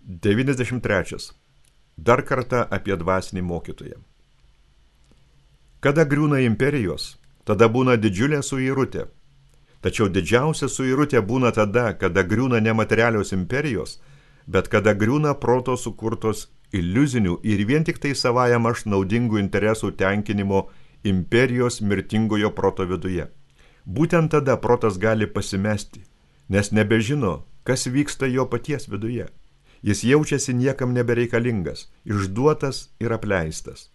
93. Dar kartą apie dvasinį mokytoją. Kada griūna imperijos, tada būna didžiulė suirutė. Tačiau didžiausia suirutė būna tada, kada griūna nematerialios imperijos, bet kada griūna proto sukurtos iliuzinių ir vien tik tai savajam aš naudingų interesų tenkinimo imperijos mirtingojo proto viduje. Būtent tada protas gali pasimesti, nes nebežino, kas vyksta jo paties viduje. Jis jaučiasi niekam nebereikalingas, išduotas ir apleistas.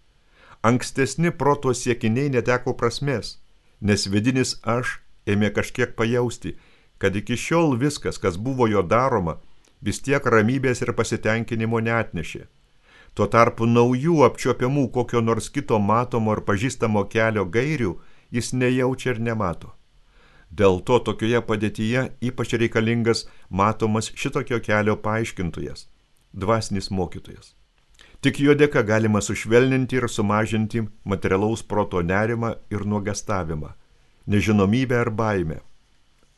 Ankstesni proto siekiniai neteko prasmės, nes vidinis aš ėmė kažkiek pajausti, kad iki šiol viskas, kas buvo jo daroma, vis tiek ramybės ir pasitenkinimo neatnešė. Tuo tarpu naujų apčiuopiamų kokio nors kito matomo ir pažįstamo kelio gairių jis nejaučia ir nemato. Dėl to tokioje padėtyje ypač reikalingas matomas šitokio kelio paaiškintojas, dvasinis mokytojas. Tik jo dėka galima sušvelninti ir sumažinti materialaus proto nerimą ir nuogastavimą, nežinomybę ar baimę.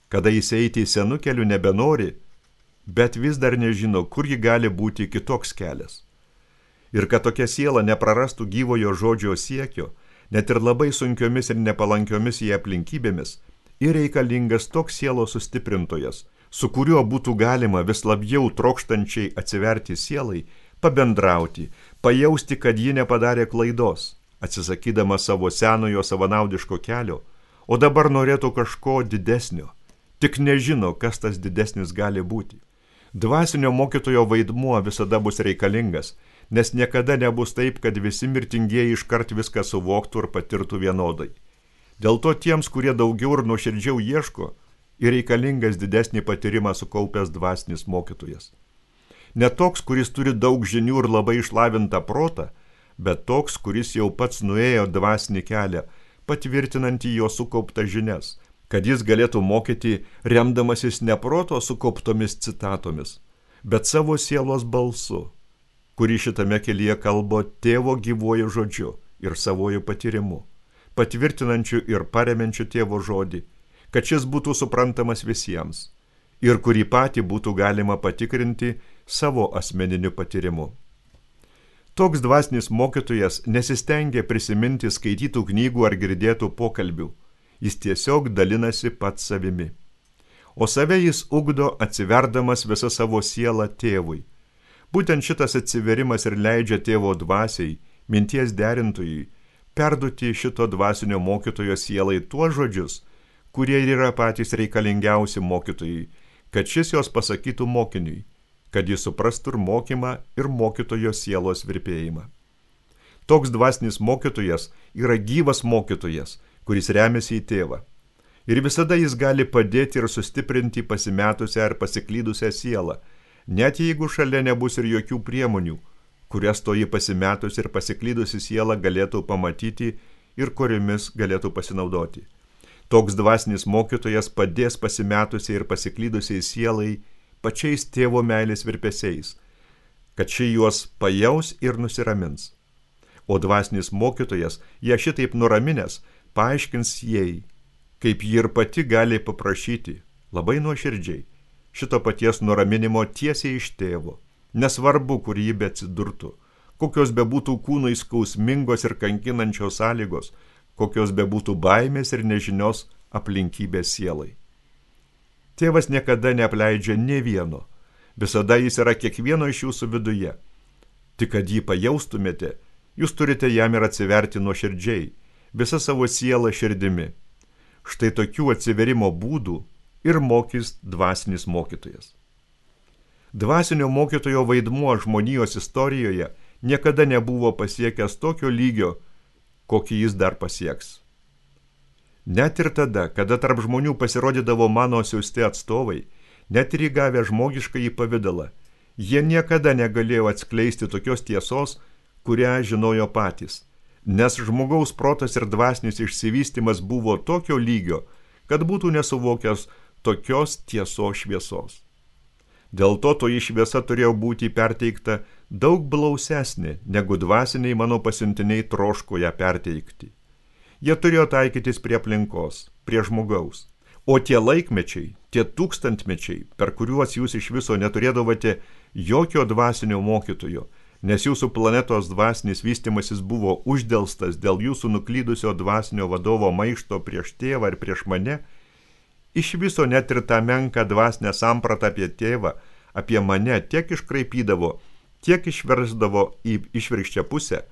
Kada jis eiti senų kelių nebenori, bet vis dar nežino, kur ji gali būti kitoks kelias. Ir kad tokia siela neprarastų gyvojo žodžio siekio, net ir labai sunkiomis ir nepalankiomis į aplinkybėmis, ir reikalingas toks sielos sustiprintojas, su kuriuo būtų galima vis labiau trokštančiai atsiverti sielai, pabendrauti, pajausti, kad ji nepadarė klaidos, atsisakydama savo senojo savanaudiško kelio, o dabar norėtų kažko didesnio, tik nežino, kas tas didesnis gali būti. Dvasinio mokytojo vaidmuo visada bus reikalingas, nes niekada nebus taip, kad visi mirtingieji iškart viską suvoktų ir patirtų vienodai. Dėl to tiems, kurie daugiau ir nuoširdžiau ieško, ir reikalingas didesnį patyrimą sukaupęs dvasinis mokytojas. Ne toks, kuris turi daug žinių ir labai išlavintą protą, bet toks, kuris jau pats nuėjo dvasinį kelią, patvirtinantį jo sukauptas žinias, kad jis galėtų mokyti remdamasis ne proto sukauptomis citatomis, bet savo sielos balsu, kurį šitame kelyje kalbo tėvo gyvuoju žodžiu ir savoju patyrimu, patvirtinančiu ir paremiančiu tėvo žodį, kad šis būtų suprantamas visiems ir kurį patį būtų galima patikrinti savo asmeniniu patyrimu. Toks dvasinis mokytojas nesistengia prisiminti skaitytų knygų ar girdėtų pokalbių, jis tiesiog dalinasi pats savimi. O save jis ugdo atsiverdamas visą savo sielą tėvui. Būtent šitas atsiverimas ir leidžia tėvo dvasiai, minties derintojui, perduoti šito dvasinio mokytojo sielai tuos žodžius, kurie yra patys reikalingiausi mokytojai, kad šis jos pasakytų mokiniui, kad jis suprastų ir mokymą ir mokytojo sielos virpėjimą. Toks dvasinis mokytojas yra gyvas mokytojas, kuris remiasi į tėvą. Ir visada jis gali padėti ir sustiprinti pasimetusią ar pasiklydusią sielą, net jeigu šalia nebus ir jokių priemonių, kurias toji pasimetusi ir pasiklydusi siela galėtų pamatyti ir kuriomis galėtų pasinaudoti. Toks dvasinis mokytojas padės pasimetusiai ir pasiklydusiai sielai pačiais tėvo meilės virpesiais, kad ši juos pajaus ir nusiramins. O dvasinis mokytojas, ją šitaip nuraminęs, paaiškins jai, kaip ji ir pati gali paprašyti, labai nuoširdžiai, šito paties nuraminimo tiesiai iš tėvo. Nesvarbu, kur ji beatsidurtų, kokios bebūtų kūnui skausmingos ir kankinančios sąlygos, kokios bebūtų baimės ir nežinios aplinkybės sielai. Tėvas niekada neapleidžia nė vieno, visada jis yra kiekvieno iš jūsų viduje. Tik kad jį pajaustumėte, jūs turite jam ir atsiverti nuoširdžiai, visą savo sielą širdimi. Štai tokių atsiverimo būdų ir mokys dvasinis mokytojas. Dvasinio mokytojo vaidmuo žmonijos istorijoje niekada nebuvo pasiekęs tokio lygio, kokį jis dar pasieks. Net ir tada, kada tarp žmonių pasirodydavo mano siųsti atstovai, net ir įgavę žmogiškąjį pavidalą, jie niekada negalėjo atskleisti tokios tiesos, kurią žinojo patys, nes žmogaus protas ir dvasinis išsivystymas buvo tokio lygio, kad būtų nesuvokęs tokios tiesos šviesos. Dėl to toji šviesa turėjo būti perteikta daug blausesnė, negu dvasiniai mano pasiuntiniai troško ją perteikti. Jie turėjo taikytis prie aplinkos, prie žmogaus. O tie laikmečiai, tie tūkstantmečiai, per kuriuos jūs iš viso neturėdavote jokio dvasinio mokytojo, nes jūsų planetos dvasinis vystimasis buvo uždelstas dėl jūsų nuklydusio dvasinio vadovo maišto prieš tėvą ir prieš mane, iš viso net ir tą menką dvasinę sampratą apie tėvą, apie mane tiek iškraipydavo, tiek išversdavo į išvirkščią pusę,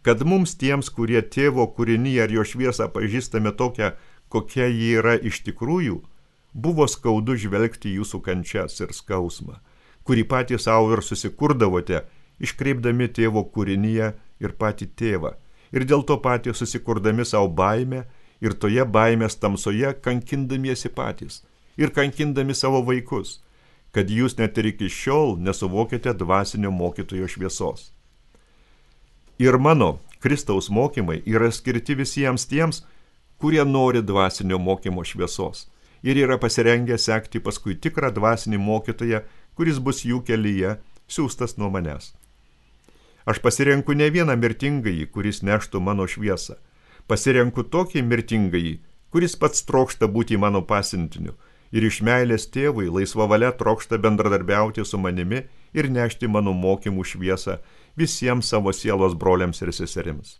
kad mums tiems, kurie tėvo kūrinyje ir jo šviesą pažįstame tokią, kokia ji yra iš tikrųjų, buvo skaudu žvelgti jūsų kančias ir skausmą, kurį patys savo ir susikurdavote, iškreipdami tėvo kūrinyje ir patį tėvą, ir dėl to patys susikurdami savo baimę ir toje baimės tamsoje kankindamiesi patys ir kankindami savo vaikus, kad jūs net ir iki šiol nesuvokėte dvasinio mokytojo šviesos. Ir mano Kristaus mokymai yra skirti visiems tiems, kurie nori dvasinio mokymo šviesos ir yra pasirengę sekti paskui tikrą dvasinį mokytoją, kuris bus jų kelyje, siųstas nuo manęs. Aš pasirenku ne vieną mirtingąjį, kuris neštų mano šviesą. Pasirenku tokį mirtingąjį, kuris pats trokšta būti mano pasiuntiniu ir iš meilės tėvui laisva valia trokšta bendradarbiauti su manimi ir nešti mano mokymų šviesą visiems savo sielos broliams ir seserims.